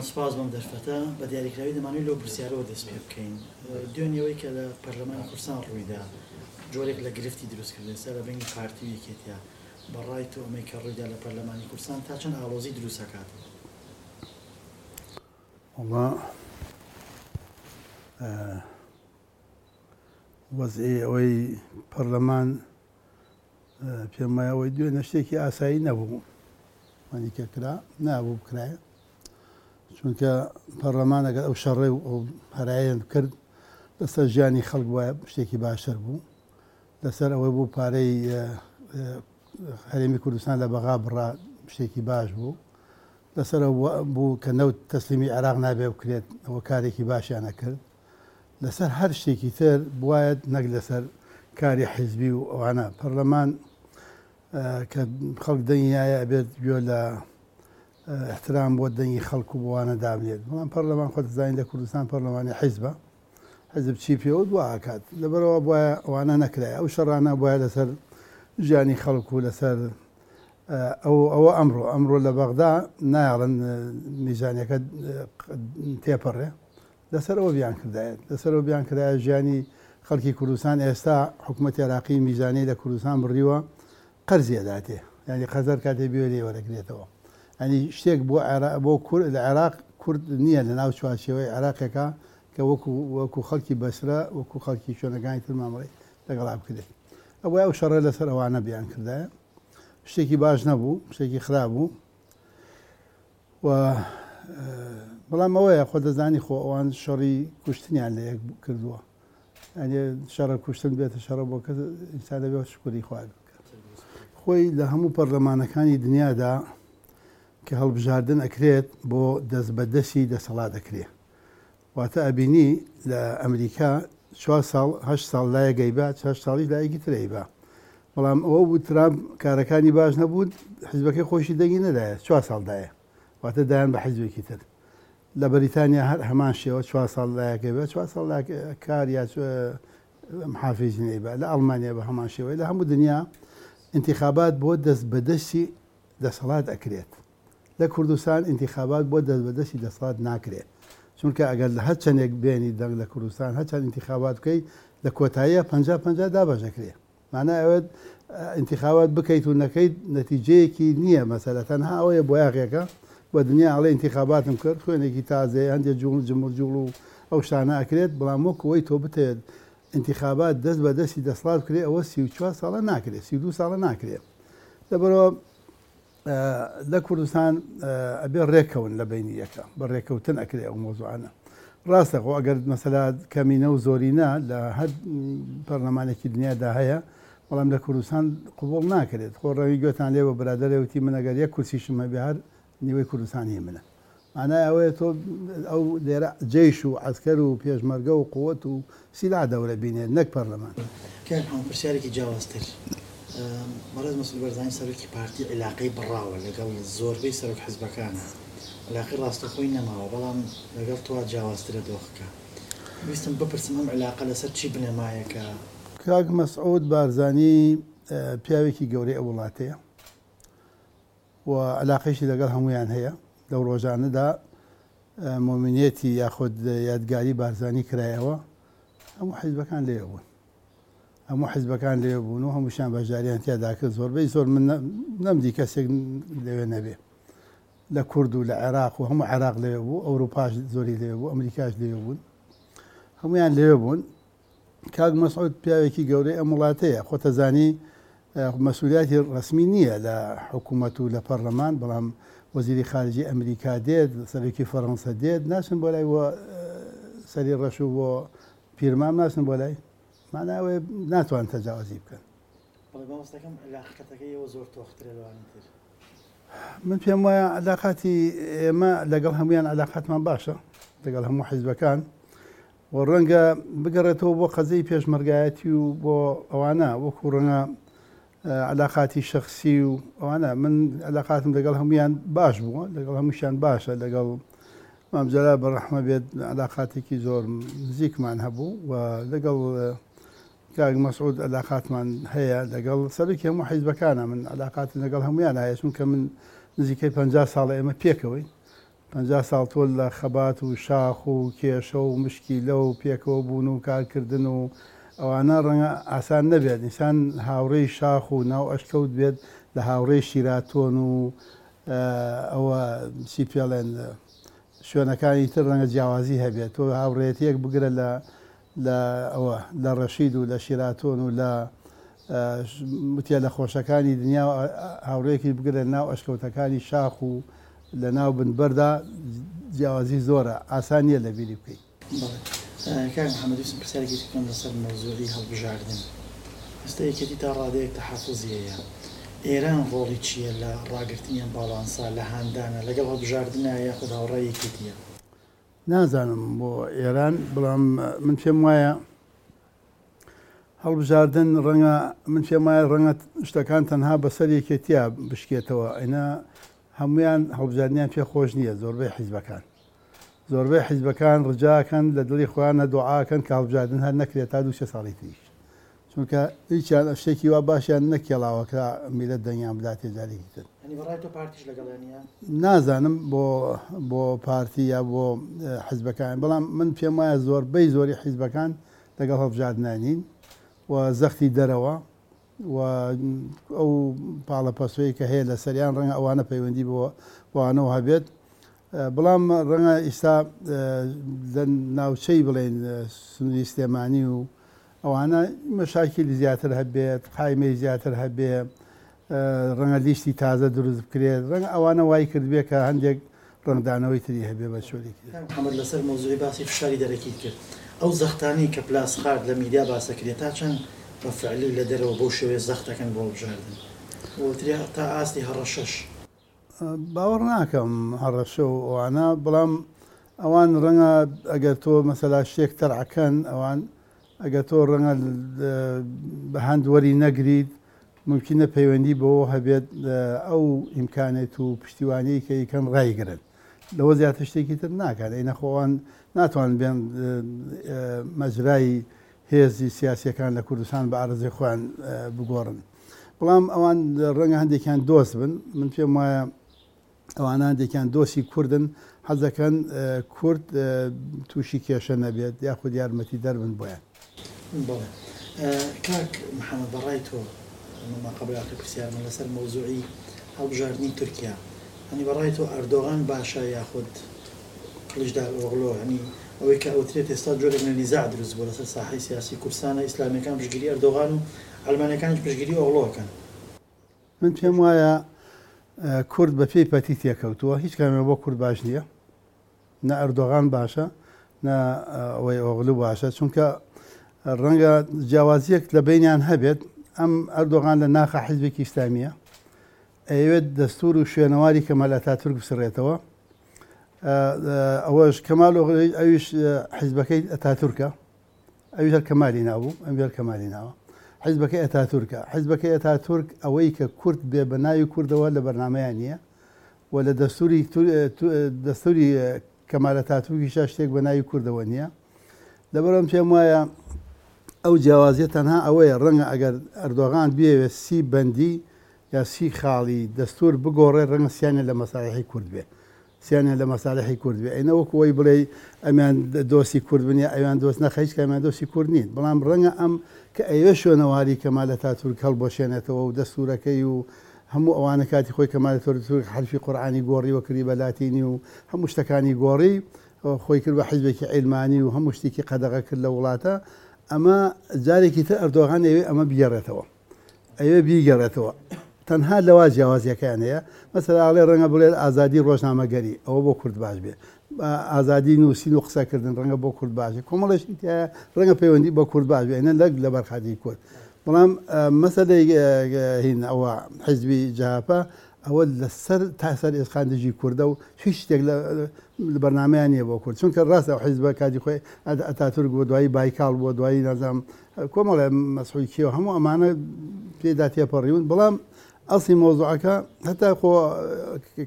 محەمەد سوپاس بۆم دەرفەتە. بە دیاریکراوی دەمانەوێت لەو پرسیارەوە دەست پێ بکەین. دوێنێ ئەوەی کە لە پەرلەمانی کوردستان ڕوویدا جۆرێک لە گرفتی دروست کرد ئێستا لە بەینی پارتی و یەکێتیا. بە ڕای تۆ ئەمەی کە ڕوویدا لە پەرلەمانی کوردستان تا چەند ئاڵۆزی دروست ئەکات؟ وەڵا وەزعی ئەوەی پەرلەمان پێم وایە ئەوەی دوێنێ شتێکی ئاسایی نەبوو وانی کە کرا نابوو بکرایە چونکە پەرلەمان ئەگەر ئەو شەڕێ و ئەو هەرایەن کرد لەسەر ژیانی خەڵک وایە شتێکی باشتر بوو لەسەر ئەوەی بوو پارەی هەرێمی کوردستان لە بەغا بڕا شتێکی باش بوو لەسەر بوو کە نەوت تەسلیمی عێراق نابێ بکرێت ئەوە کارێکی باشیانە کرد لەسەر هەر شتێکی تر بوایەت نەک لەسەر کاری حیزبی و ئەوانە. پەرلەمان کە خەڵک دەنگی نایە ئەبێت گوێ لە احترام بۆ دەنگی خەڵک و بۆوانە دابنێت. بەڵام پەرلەمان خۆت دەزانی لە کوردستان پەرلەمانی حیزبە. حیزب چی پێوت وا ئەکات. لەبەرئەوە بوایە ئەوانە نەکرایە. ئەو شەڕانە بوایە لەسەر ژیانی خەڵک و لەسەر ئەو ئەوە ئەمڕۆ ئەمڕۆ لە بەغدا نایەڵن میزانیەکە تێپەڕێ. لەسەر ئەوە بیانکردایەت لەسەر ئەوە بیانکردایە ژیانی خەڵکی کوردستان ئێستا حکومەتی عێراقی میزانیەی لە کوردستان بڕیوە قەرزی ئەداتێ یانی قەرز هەر کاتێ بوێ لێی وەرەگرێتەوە یانی شتێک بۆ عێراق بۆ کورد لە عێراق کورد نییە لە ناو چوارچێوەی عێراقێکا کە وەکو وەکو خەڵکی بەسرە وەکو خەڵکی شوێنەکانی تر مامەڵەی لەگەڵا بکرێت ئەبوایە ئەو شەڕە لەسەر ئەوانە بیانکردایە شتێکی باش نەبوو شتێکی خراپ بوو و بەڵام ئەوەیە خۆ دەزانی خۆ ئەوان شەڕی کوشتنیان لە یەک کردووە ئەنێ شەڕە کوشتن بێتە شەڕە بۆ کەس ئینسان دەبێت شکری خوای بکات خۆی لە هەموو پەرلەمانەکانی دنیادا کە هەڵبژاردن ئەکرێت بۆ دەست بە دەستی دەسەڵات ئەکرێ واتە ئەبینی لە ئەمریکا چوار ساڵ هەشت ساڵ لایەک ئەیبا هەشت ساڵیش لایەکی تر ئەیبا بەڵام ئەوە بوو ترامپ کارەکانی باش نەبوو حزبەکەی خۆشی دەنگی نەدایە چوار ساڵ دایە واتە دایان بە حزبێکی تر لە بەریتانیا هەر هەمان شێوە چوار ساڵ لایەک ئەیبا چوار ساڵ کار یا محافیزین ئەیبا لە ئەڵمانیا بە هەمان شێوەی لە هەموو دنیا انتخابات بۆ دەست بەدەستی دەسەڵات ئەکرێت لە کوردستان ئینتیخابات بۆ دەست بە دەستی دەسەڵات ناکرێ چونکە ئەگەر لە هەر چەندێک بێنی دەنگ لە کوردستان هەر چەند ئینتیخابات بکەی لە کۆتاییە 50 50 دابەش دەکرێ معنای ئەوەت ئینتیخابات بکەیت و نەکەیت نەتیجەیەکی نییە مەسەلە تەنها ئەوەیە بۆیاغێکە بە دنیا ئەڵێ ئینتیخاباتم کرد خوێنێکی تازەیە هەندێک جوڵ جموجوڵ و ئەو شتانە ئەکرێت بەڵام وەک ئەوەی تۆ بتەوێت ئینتیخابات دەست بە دەستی دەسەڵات بکرێ ئەوە 34 ساڵە ناکرێ 32 ساڵە ناکرێ لەبەرەوە لە کوردستان ئەبێ ڕێکەون لە بینی یەکە بە ڕێکەوتن ئەکرێ ئەو مۆزوعانە ڕاستە خۆ ئەگەر مەسەلا کەمینە و زۆرینە لە هەر پەرلەمانێکی دنیادا هەیە بەڵام لە کوردستان قوبڵ ناکرێت خۆ ڕەوی گوێتان لێ بە برادەرێ وتی من ئەگەر یەک کورسیشم هەبێ هەر نیوەی کوردستان هی منە مانای ئەوەیە تۆ ئەو لێرە جەیش و عەسکەر و پێشمەرگە و قوت و سیلاح دەورە بینێت نەک پەرلەمان. کاک محمد پرسیارێکی جیاوازتر، بەڕێز مەسعود بەرزانی سەرۆکی پارتی عیلاقەی بڕاوە لەگەڵ زۆربەی سەرۆک حزبەکانا، عیلاقەی ڕاستەوخۆی نەماوە، بەڵام لەگەڵ تۆ جیاوازترە دۆخەکە، ویستم بپرسم ئەم عیلاقە لەسەر چی بنەمایەکە؟ کاک مەسعود بارزانی پیاوێکی گەورەی ئەو وڵاتەیە و عەلاقەیشی لەگەڵ هەموویان هەیە، لەو ڕۆژانەدا مۆمینێتی یاخود یادگاری بارزانی کرایەوە، هەموو حیزبەکان لەوێ بوون. هەموو حیزبەکان لەوێ بوون و هەمووشیان بەشداریان تیادا کرد، زۆربەی زۆر من نەمدی کەسێک لەوێ نەبێ. لە کورد و لە عێراق و هەموو عێراق لەوێ بوو، ئەوروپاش زۆری لەوێ بوو، ئەمریکاش لەوێ بوون. هەموویان لەوێ بوون. کاک مەسعود پیاوێکی گەورەی ئەم وڵاتەیە، خۆتەزانی مەسولیاتی ڕەسمی نییە لە حکوومەت و لە پەرلەمان، بەڵام وەزیری خارجی ئەمریکا دێت، سەرۆکی فەرەنسا دێت، ناچن بۆ لای بۆ سەری ڕەش و بۆ پیرمام ناچن بۆ لای، مانای ئەوەیە ناتوان تەجاوزی بکەن. بەڵێ مامۆستاکەم عیلاقەتەکەی ئێوە زۆر تۆخترە لەوانی تر. من پێم وایە عیلاقاتی ئێمە لەگەڵ هەمویان عیلاقاتمان باشە، لەگەڵ هەموو حیزبەکان، و ڕەنگە بگەڕێتەوە بۆ قەزیەی پێشمەرگایەتی و بۆ ئەوانە وەکو ڕەنگە علاقاتی شخصی و ئەوانە من علاقاتم لەگەڵ هەمویان باش بووە لەگەڵ هەمووشیان باشە لەگەڵ مام جەلال بە ڕەحمە بێت علاقاتێکی زۆر نزیکمان هەبوو و لەگەڵ کاک مەسعود علاقاتمان هەیە لەگەڵ سەرۆکی هەموو حیزبەکانە من علاقاتم لەگەڵ هەمویان هەیە چونکە من نزیکەی 50 ساڵە ئێمە پێکەوەین. 50 ساڵ تۆ لە خەبات و شاخ و کێشە و مشکیلە و پێکەوە بوون و کارکردن و ئەوانە ڕەنگە ئاسان نەبێت ئینسان هاوڕێی شاخ و ناو ئەشکەوت بێت لە هاوڕێی شیراتۆن و ئەوە چی پێڵێن شوێنەکانی تر ڕەنگە جیاوازی هەبێت. تۆ هاوڕێیەتییەک بگرە لە لە ئەوە لە ڕەشید و لە شیراتۆن و لە وتێلە خۆشەکانی دنیا و هاوڕێیەکیش بگرە لە ناو ئەشکەوتەکانی شاخ و لە ناو بن بەردا جیاوازی زۆرە ئاسان نییە لە بیری بکەی. بەڵێ کاک محمد ویستم پرسیارێکی تر بکەم لەسەر مەوزوعی هەڵبژاردن ئێستا یەکێتی تا ڕادەیەک تەحەفوزی هەیە ئێران ڕۆڵی چییە لە ڕاگرتنی ئەم باڵانسە لە هاندانە لەگەڵ هەڵبژاردنە یاخود هاوڕای یەکێتییە؟ نازانم بۆ ئێران بەڵام من پێم وایە هەڵبژاردن ڕەنگە من پێم وایە ڕەنگە شتەکان تەنها بەسەر یەکێتیە بشکێتەوە ئەینا هەمویان هەڵبژاردنیان پێ خۆش نییە زۆربەی حیزبەکان زۆربەی حیزبەکان ڕجاکەن لە دڵی خۆیانە دوعاکەن کە هەڵبژاردن هەر نەکرێت تا دوو سێ ساڵی تریش چونکە هیچیان شتێکی وا باشیان نەکێڵاوە کە میلەت دەنگیان بداتێ جارێکی تر. یانی بەڕای تۆ پارتیش لەگەڵیان نیە؟ نازانم بۆ بۆ پارتی یا بۆ حیزبەکان بەڵام من پێم وایە زۆربەی زۆری حیزبەکان لەگەڵ هەڵبژاردنا نین و زەختی دەرەوە و ئەو پاڵەپەستۆی کە هەیە لەسەریان ڕەنگە ئەوانە پەیوەندی بۆ بەوانەوە هەبێت بەڵام ڕەنگە ئیستا لە ناوچەی بڵێن سنووری سلێمانی و ئەوانە مەشاکیلی زیاتر هەبێت، قایمەی زیاتر هەبێ، ڕەنگە لیستی تازە دروست بکرێت، ڕەنگە ئەوانە وای کردبێ کە هەندێک ڕەنگدانەوەی تری هەبێ بە چۆرێکی تر. کاک محەمەد لەسەر مەوزوعی باسی فشاری دەرەکیت کرد، ئەو زەختانەی کە پلاسخارت لە میدیا باس ئەکرێ تا چەند بە فعلی لە دەرەوە بەو شێوەیە زەخت ئەکەن بۆ هەڵبژاردن؟ وترێ تا ئاستی هەڕەشەش. باوەڕ ناکەم هەڕەشە و ئەوانە، بەڵام ئەوان ڕەنگە ئەگەر تۆ مەسەلا شتێک تەرعکەن ئەوان ئەگەر تۆ ڕەنگە بە هەند وەری نەگریت ممکنە پەیوەندی بەوە هەبێت ئەو ئیمکانێت و پشتیوانیی کە یکەن ڕایگرن لەوە زیاتر شتێکی تر ناکات ئەی نەخۆوان ناتوان بێن مەجرای هێزی سیاسیەکان لە کوردستان بە ئارەزوی خۆیان بگۆڕن. بەڵام ئەوان ڕەنگە هەندێکیان دۆست بن، من پێم وایە ئەوانە هەندێکیان دۆستی کوردن، حەز دەکەن کورد تووشی کێشە نەبێت یاخود یارمەتی دەر بن بۆیان. بەڵێ کاک محەمەد بەڕای تۆ ئەمە ماقەبل ئاخر پرسیارمە لەسەر مەوزوعی هەڵبژاردنی تورکیا هەنی بەڕای تۆ ئەردۆغان باشە یاخود کڵیچدار ئۆغلۆ یانی ئەوەی کە ئەوترێت ئێستا جۆرێک لە نیزاع دروست بووە لەسەر ساحەی سیاسی کوردستانە ئیسلامیەکان پشتگیری ئەردۆغان و عەلمانیەکانیش پشتگیری ئۆغلۆ ئەکەن. من پێم وایە کورد بە پێی پەتی تێکەوتووە هیچ کامیان بۆ کورد باش نییە نە ئەردۆغان باشە نە ئەوەی ئۆغلو باشە چونکە ڕەنگە جیاوازیەک لە بینیان هەبێت ئەم ئەردۆغان لە ناخە حیزبێکی ئیسلامیە ئەیەوێت دەستور و شوێنەواری کەمال ئەتاتورک بسڕێتەوە ئەوەش کەمال ئەویش حیزبەکەی ئەتاتورکە ئەویش هەر کەمالی ناوبوو ئەم هەر کەمالی ناوە حیزبەکەی ئەتاتورکە حیزبەکەی ئەتاتورک ئەوەی کە کورد بێ بە ناوی کوردەوە لە بەرنمەیان نییە و لە دەستوری دەستوری کەمال ئەتاتورکیشا شتێک بە ناوی کوردەوە نییە لەبەرم پێم وایە ئەو جیاوازیە تەنها ئەوەیە ڕەنگە ئەگەر ئەردۆغان بیەوێت سی بەندی یا سی خاڵی دەستور بگۆڕێت ڕەنگە سیانیان لە مەسالحی کورد بێ سیانیان لە مەسالحی کورد بێ ئەینە وەکو ئەوەی بڵێی ئەمیان دۆستی کورد بن یا ئەویان دۆست نەخە هیچ کامیان دۆستی کورد نین بەڵام ڕەنگە ئەم کە ئەیەوێ شوێنەواری کەمال ئەتاتورک هەڵبوەشێنێتەوە و دەستورەکەی و هەموو ئەوانە کاتی خۆی کەمال ئەتاتورک حەرفی قورئانی گۆڕی و کردی بە لاتینی و هەموو شتەکانی گۆڕی خۆی کرد بە حیزبێکی عیلمانی و هەموو شتێکی قەدەغە کرد لە وڵاتە ئەمە جارێکی تر ئەردۆغان ئەیەوێ ئەمە بگێڕێتەوە ئەیەوێ بیگەڕێتەوە تەنها لەوا جیاوازیەکەیان هەیە مەسەلا ئەڵێ ڕەنگە بڵێت ئازادی ڕۆژنامەگەری ئەوە بۆ کورد باش بێ ئازادی نووسین و قسەکردن ڕەنگە بۆ کورد باش بێ کۆمەڵێ شتی تیایە ڕەنگە پەیوەندی بە کورد باش بێ نە لەک لەبەر خاتری کورد بەڵام مەسەلەی هین ئەوە حیزبی جەهەپە ئەوە لەسەر تا سەر ئێسقان دژی کوردە و هیچ شتێک لە بەرنامەیان نییە بۆ کورد چونکە ڕاستە ئەو حیزبە کاتی خۆی ئەتاتورک بووە دوایی بایکاڵ بووە دوایی نازانم کۆمەڵێ مەسعود کێ و هەموو ئەمانە پێدا تێپەڕیون بەڵام ئەسڵی مەوزوعەکە هەتا خۆ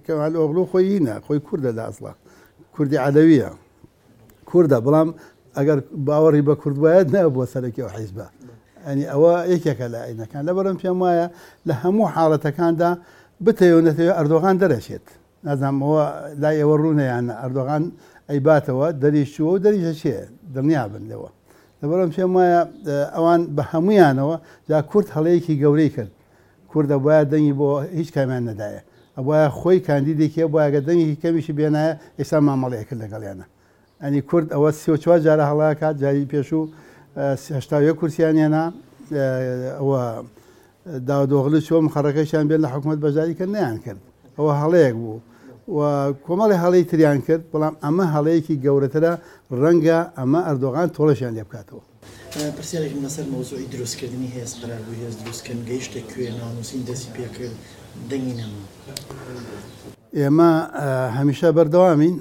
کەمال ئۆغلو خۆی هینە خۆی کوردە لە ئەسڵا کوردی عەلەویە کوردە بەڵام ئەگەر باوەڕی بە کورد وایە نەبووە سەرەکی ئەو حیزبە ئەنی ئەوە یەکێکە لە ئاینەکان لەبەرم پێم وایە لە هەموو حاڵەتەکاندا بتەوێ نەتەوێ ئەردۆغان دەرەچێت. نازانم ئەوە لای ئێوە ڕوونە یان نا، ئەردۆغان ئەیباتەوە، دەریش چووە و دەریش ئەچێ، دڵنیابن لەوە. لەبەرئەوە پێم وایە ئەوان بە هەموویانەوە، جا کورد هەڵەیەکی گەورەی کرد، کورد ئەبوایە دەنگی بۆ هیچ کامیان نەدایە، ئەبوایە خۆی کاندیدێکی هەبوایە گەر دەنگێکی کەمیشی بێنایە ئێستا مامەڵەی ئەکرد لەگەڵیانا. یانی کورد ئەوە 34 جارە هەڵە ئەکات، جاری پێشوو 81 کورسیان هێنا، ئەوە داودئۆغلو چووە مقەڕەکەشیان بێن لە حکومەت بەشداری کرد نەیان کرد، ئەوە هەڵەیەک بوو و کۆمەڵی هەڵەی تریان کرد، بەڵام ئەمە هەڵەیەکی گەورەترە، ڕەنگە ئەمە ئەردۆغان تۆڵەشیان لێ بکاتەوە. پرسیارێکم لەسەر مەوزوعی دروستکردنی هێز، قەرار بوو هێز دروست کەن، گەیشتە کوێ، ناونووسین دەستی پێکرد، دەنگی نەما. ئێمە هەمیشە بەردەوامین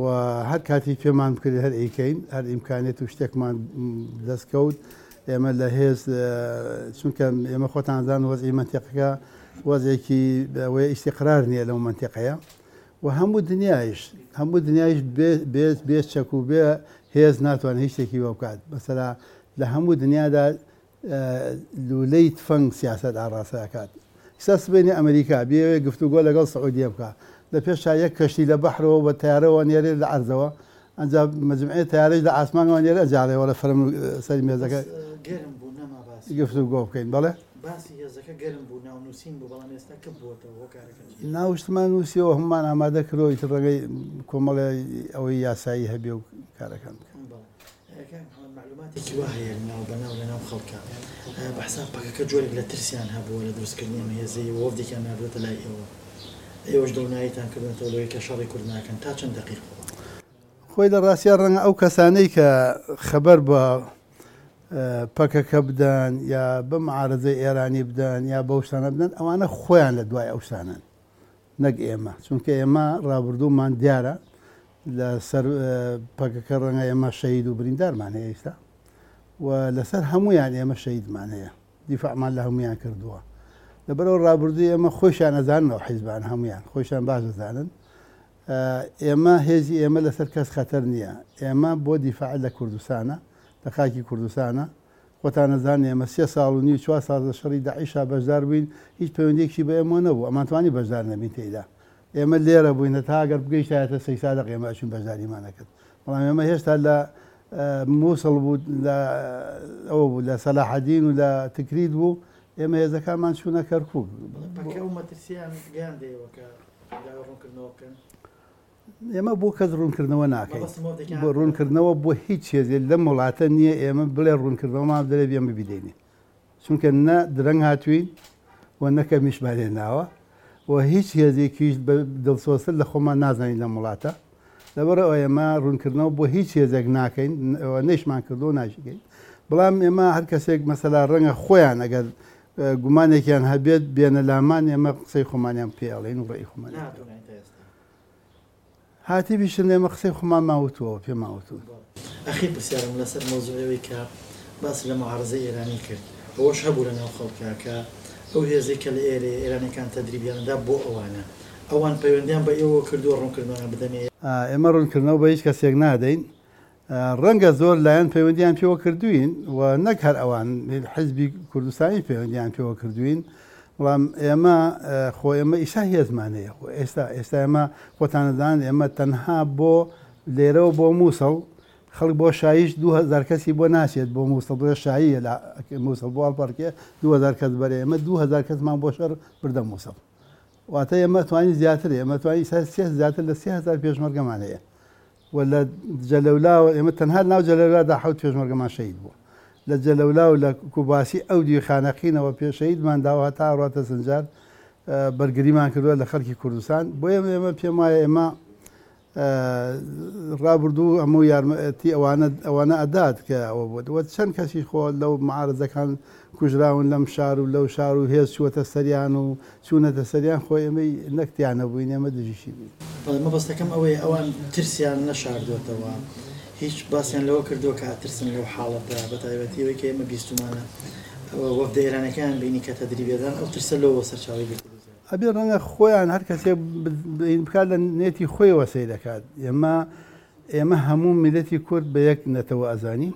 و هەر کاتی پێمان بکرێت هەر ئەیکەین، هەر ئیمکانێت و شتێکمان دەست کەوت ئێمە لە هێز، چونکە ئێمە خۆتان زان وەزعی مەنتیقەکە وەزعێکی ئەوەیە ئیستیقرار نییە لەو مەنتیقەیە و هەموو دنیایش هەموو دنیایش بێ چەک و بێ هێز ناتوانێت هیچ شتێکی بۆ بکات. مەسەلا لە هەموو دنیادا لولەی تفەنگ سیاسەت ئاڕاستە ئەکات. ئیستا سبەینێ ئەمریکا بیەوێ گفتوگۆ لەگەڵ سعودیە بکا لە پێشا یەک کەشتی لە بەحرەوە بە تەیارەوە نێرێ لە عەرزەوە ئەنجا مەجمعێ تەیارەش لە ئاسمانەوە نێرێ ئەنجا ئەڵێ وەڵە فەرم سەری مێزەکە بەس گەرم بوو نەما باسی. گفتوگۆ بکەین. بەڵێ. باسی هێزەکە گەرم بوو ناونووسین بوو بەڵام ئێستا کپ بووەتەوە هۆکارەکە چییە؟ ناوشتمان نووسیەوە هەموومان ئامادە کردووە ئیتر ڕەنگە کۆمەڵێ ئەوەی یاسایی هەبێ و کارەکان بکەن. بەڵێ. کاک محمد مەعلوماتێکی وا هەیە لەناو بەناو لەناو خەڵکا بە حساب پەکەکە جۆرێک لە ترسیان هەبووە لە دروستکردنی ئەم هێزەی و وەفدێکیان ناردووەتە لای ئێوە ئێوەش دڵنیاییتان کردوونەتەوە لەوەی کە شەڕی کورد ناکەن تا چەند دەقیق بووە؟ خۆی لە ڕاستیا ڕەنگە ئەو کەسانەی کە خەبەر بە پەکەکە بدەن یا بە معارەزەی ئێرانی بدەن یا بەو شتانە بدەن ئەوانە خۆیان لە دوای ئەو شتانەن نەک ئێمە چونکە ئێمە ڕابردوومان دیارە لە سەر پەکەکە ڕەنگە ئێمە شەهید و بریندارمان هەیە ئیستا و لەسەر هەمویان ئێمە شەهیدمان هەیە دیفاعمان لە هەمویان کردووە لەبەرەوە ڕابردووی ئێمە خۆشیان ئەزانن ئەو حیزبان هەمویان خۆشیان باش دەزانن ئێمە هێزی ئێمە لەسەر کەس خەتەر نییە ئێمە بۆ دیفاع لە کوردستانە لە خاکی کوردستانە خۆتان ئەزانن ئێمە سێ ساڵ و نیو چوار ساڵ لە شەڕی داعشا بەشدار بووین هیچ پەیوەندیەکیشی بە ئێمەوە نەبوو ئەمانتوانی بەشدار نەبین تێیدا ئێمە لێرە بووین هەتا ئەگەر بگەیشتایەتە سەیسادق ئێمە ئەچوین بەشداریمان ئەکرد بەڵام ئێمە هێشتا لە مووسڵ بوو لە ئەوە بوو لە سەلاحەدین و لە تکریت بوو ئێمە هێزەکانمان چوونە کەرکووک. پەکە ئەو مەترسییان گەیاندە ئێوە کە داوای ڕوونکردنەوە بکەن؟ ئێمە بۆ کەس ڕوونکردنەوە ناکەین بۆ ڕوونکردنەوە بۆ هیچ هێزێ لەم وڵاتە نییە ئێمە بڵێ ڕوونکردنەوەمان بدەێ بێمە بیدەینێ چونکە نە درەنگ هاتوین و نە کەمیشمان هێناوە و هیچ هێزێکیش بە دڵسۆزتر لە خۆمان نازانین لەم وڵاتە لەبەر ئەوە ئێمە ڕوونکردنەوە بۆ هیچ هێزێک ناکەین نەیشمان کردو ناشیکەین بەڵام ئێمە هەر کەسێک مەسەلا ڕەنگە خۆیان ئەگەر گومانێکیان هەبێت بێنە لامان ئێمە قسەی خۆمانیان پێ ئەڵێین و ڕێی خۆمان هاتیبیشن ئێمە قسەی خۆمانمان وتووە پێمان وتوون. ئەخیر پرسیارم لەسەر مەوزوعی ئەوەی کە باست لە معارەزەی ئێرانی کرد ئەوەش هەبوو لە ناو خەڵکا کە ئەو هێزەی کە لە ئێرەیە ئێرانیەکان تەدریبیان ئەدا بۆ ئەوانە ئەوان پەیوەندیان بە ئێوەوە کردووە ڕوونکردنەوەیان بدەنێ؟ ئێمە ڕوونکردنەوە بە هیچ کەسێک نادەین ڕەنگە زۆر لایەن پەیوەندیان پێوە کردوین و نەک هەر ئەوان حزبی کوردستانی پەیوەندیان پێوە کردوین بەڵام ئێمە خۆ ئێمە ئیسا هێزمان هەیە خۆ ئێستا ئێستا ئێمە خۆتانەدان ئێمە تەنها بۆ لێرەوە بۆ مووسڵ خەڵک بۆ شایش 2000 کەسی بۆ ناچێت بۆ مووسڵ بۆ شاییە لە مووسڵ بۆ ئەڵپەرکێ 2000 کەس بەرێ ئێمە 2000 کەسمان بۆ شەڕ بردە مووسڵ واتە ئێمە توانی زیاتر ئێمە توانی سێ زیاتر لە 3000 پێشمەرگەمان هەیە و لە جەلەولاوە ئێمە تەنها لەناو جەلەولادا حەوت پێشمەرگەمان شەهید بووە. لە جەلەولا و لە کوباسی ئەو دیوی خانەقینەوە پێ شەهیدمان داوە هەتا ئەڕواتە سنجار بەرگریمان کردووە لە خەڵکی کوردستان. بۆیە ئێمە پێم وایە ئێمە ڕابردوو هەموو یارمەتی ئەوانە ئەوانە ئەدات کە ئەوە بوو وە چەند کەسی خۆ لەو معارزەکان کوژراون لەم شار و لەو شار و هێز چووەتە سەریان و چوونەتە سەریان خۆ ئێمەی نەک تیا نەبووین ئێمە دژیشی بووین. بەڵێ مەبەستەکەم ئەوەیە ئەوان ترسیان نەشاردۆتەوە هیچ باسیان لەوە کردووە کە ئەترسن لەو حاڵەتە بەتایبەتی ئەوەی کە ئێمە بیستومانە وەفدە ئێرانەکەیان بینی کە تەدریبیەدان ئەو ترسە لەوەوە سەرچاوەی گرتبوو زیاتر. ئەبێ ڕەنگە خۆیان هەر کەسێک بکات لە نێتی خۆیەوە سەیر ئەکات ئێمە ئێمە هەموو میللەتی کورد بە یەک نەتەوە ئەزانین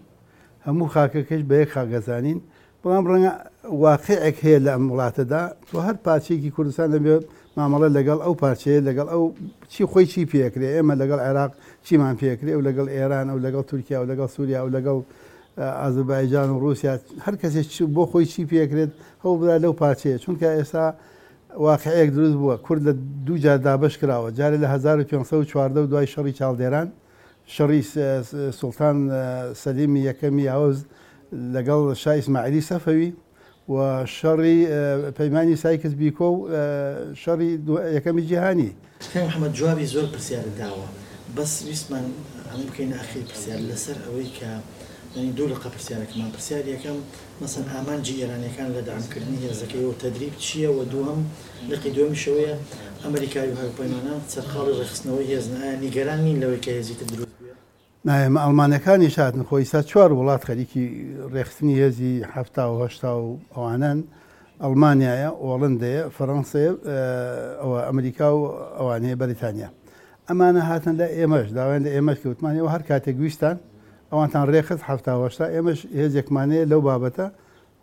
هەموو خاکەکەش بە یەک خاک ئەزانین بەڵام ڕەنگە واقعێک هەیە لە ئەم وڵاتەدا تۆ هەر پارچەیەکی کوردستان دەبێ مامەڵە لەگەڵ ئەو پارچەیە لەگەڵ ئەو چی خۆی چی پێکرێ ئێمە لەگەڵ عێراق چیمان پێکرێ و لەگەڵ ئێران ئەو لەگەڵ تورکیا و لەگەڵ سووریا و لەگەڵ ئازربایجان و ڕووسیا هەر کەسێک بۆ خۆی چی پێکرێت هەوڵ بدات لەو پارچەیە چونکە ئێستا واقعێک دروست بووە کورد لە دوو جار دابەش کراوە جارێ لە 1514 و دوای شەڕی چاڵدێران شەڕی سوڵتان سەلیمی یەکەمی یاوز لەگەڵ شا ئیسماعیلی سەفەوی و شەڕی پەیمانی سایکس بیکۆ و شەڕی یەکەمی جیهانی. کاک محمد جوابی زۆر پرسیارت داوە بەس ویستمان ئەمە بکەینە ئاخیر پرسیار لەسەر ئەوەی کە یانی دوو لقە پرسیارەکەمان پرسیاری یەکەم مەسەن ئامانجی ئێرانیەکان لە دەعم کردنی هێزەکەی و تەدریب چیە وە دووهەم لقی دووەمیش ئەوەیە ئەمریکای و هاوپەیمانان سەرقاڵی ڕێکخستنەوەی هێزن ئایا نیگەران نین لەوەی کە هێزی تر دروست بێ؟ نا ئێمە ئەڵمانەکانیش هاتن خۆ ئیستا چوار وڵات خەریکی ڕێکخستنی هێزی 70 و 80 و ئەوانەن ئەڵمانیایە ئۆڵندەیە فەڕەنسەیە ئەوە ئەمریکا و ئەوانەیە بەریتانیا ئەمانە هاتن لە ئێمەش داوایان لە ئێمەش کرد وتمان ئێوە هەر کاتێک ویستان ئەوانتان ڕێکخست 70 و 80 ئێمەش هێزێکمانەیە لەو بابەتە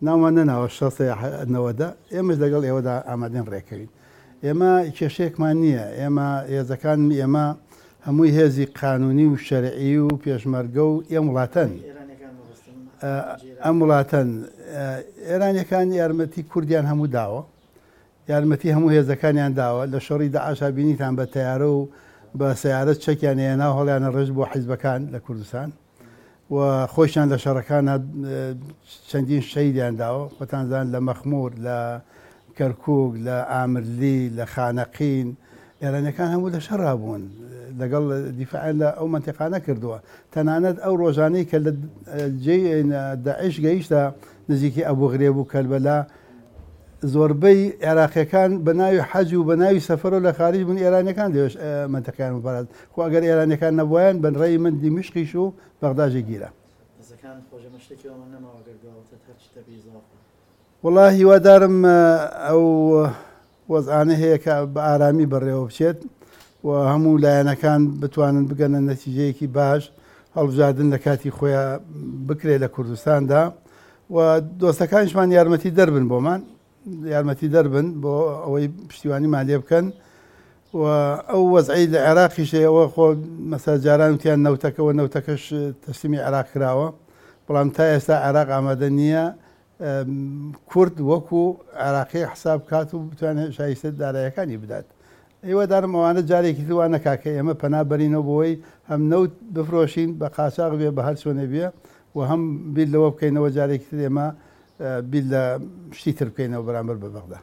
ناومان نەناوە شەستە یا نەوەدە، ئێمەش لەگەڵ ئێوەدا ئامادەین ڕێککەوین. ئێمە کێشەیەکمان نییە، ئێمە هێزەکان ئێمە هەمووی هێزی قانونی و شەرعی و پێشمەرگە و ئێم وڵاتەن. ئەم وڵاتەن. ئێرانیەکان یارمەتی کوردیان هەموو داوە، یارمەتی هەموو هێزەکانیان داوە، لە شەڕی داعشا بینیتان بە تەیارە و بە سەیارە چەکیان هێنا و هەڵیانە ڕشت بۆ حیزبەکان لە کوردستان. و خۆشیان لە شەڕەکانا چەندین شەهیدیان داوە، خۆتان زان لە مەخمور، لە کەرکوک، لە ئامرلی، لە خانەقین، ئێرانیەکان هەموو لە شەڕا بوون، لەگەڵ دیفاعیان لە ئەو مەنتیقانە کردووە، تەنانەت ئەو ڕۆژانەی کە لە جێی داعش گەیشتە نزیکی ئەبوغرێب و کەربەلا، زۆربەی عێراقیەکان بە ناوی حەج و بە ناوی سەفەرەوە لە خارج بوون، ئێرانیەکان لەوێش مەنتیقیان بپاراست. خۆ ئەگەر ئێرانیەکان نەبوایەن بە ڕێی من دیمشقیش و بەغداژی گیرا. دەستەکانت خۆش ئێمە شتێکی وامان نەماوە گەر دواوتت هەرچی تەبی ئیزافە. وەڵا هیوادارم ئەو وەزعانە هەیە کە بە ئارامی بەڕێوە بچێت و هەموو لایەنەکان بتوانن بگەنە نەتیجەیەکی باش، هەڵبژاردن لە کاتی خۆیان بکرێت لە کوردستاندا و دۆستەکانیشمان یارمەتی دەربن بۆمان یارمەتی دەربن بۆ ئەوەی پشتیوانیمان لێ بکەن و ئەو وەزعی لە عێراقیش ئەوە خۆ مەسا جاران وتیان نەوتەکەەوە نەوتەکەش تەسلیمی عێراق کراوە بەڵام تا ئێستا عێراق ئامادە نییە کورد وەکو عێراقی حساب بکات و بتوانێت شایستە دارایەکانی بدات. هیوادارم ئەوانە جارێکی تر وا نەکا کە ئێمە پەنا بەرینەوە بۆی هەم نەوت بفرۆشین بە قاچاغ بێ بە هەر چۆنێ بێ و هەم بیر لەوە بکەینەوە جارێکی تر ئێمە بیر لە شتی تر بکەینەوە بەرامبەر بە بەغدا.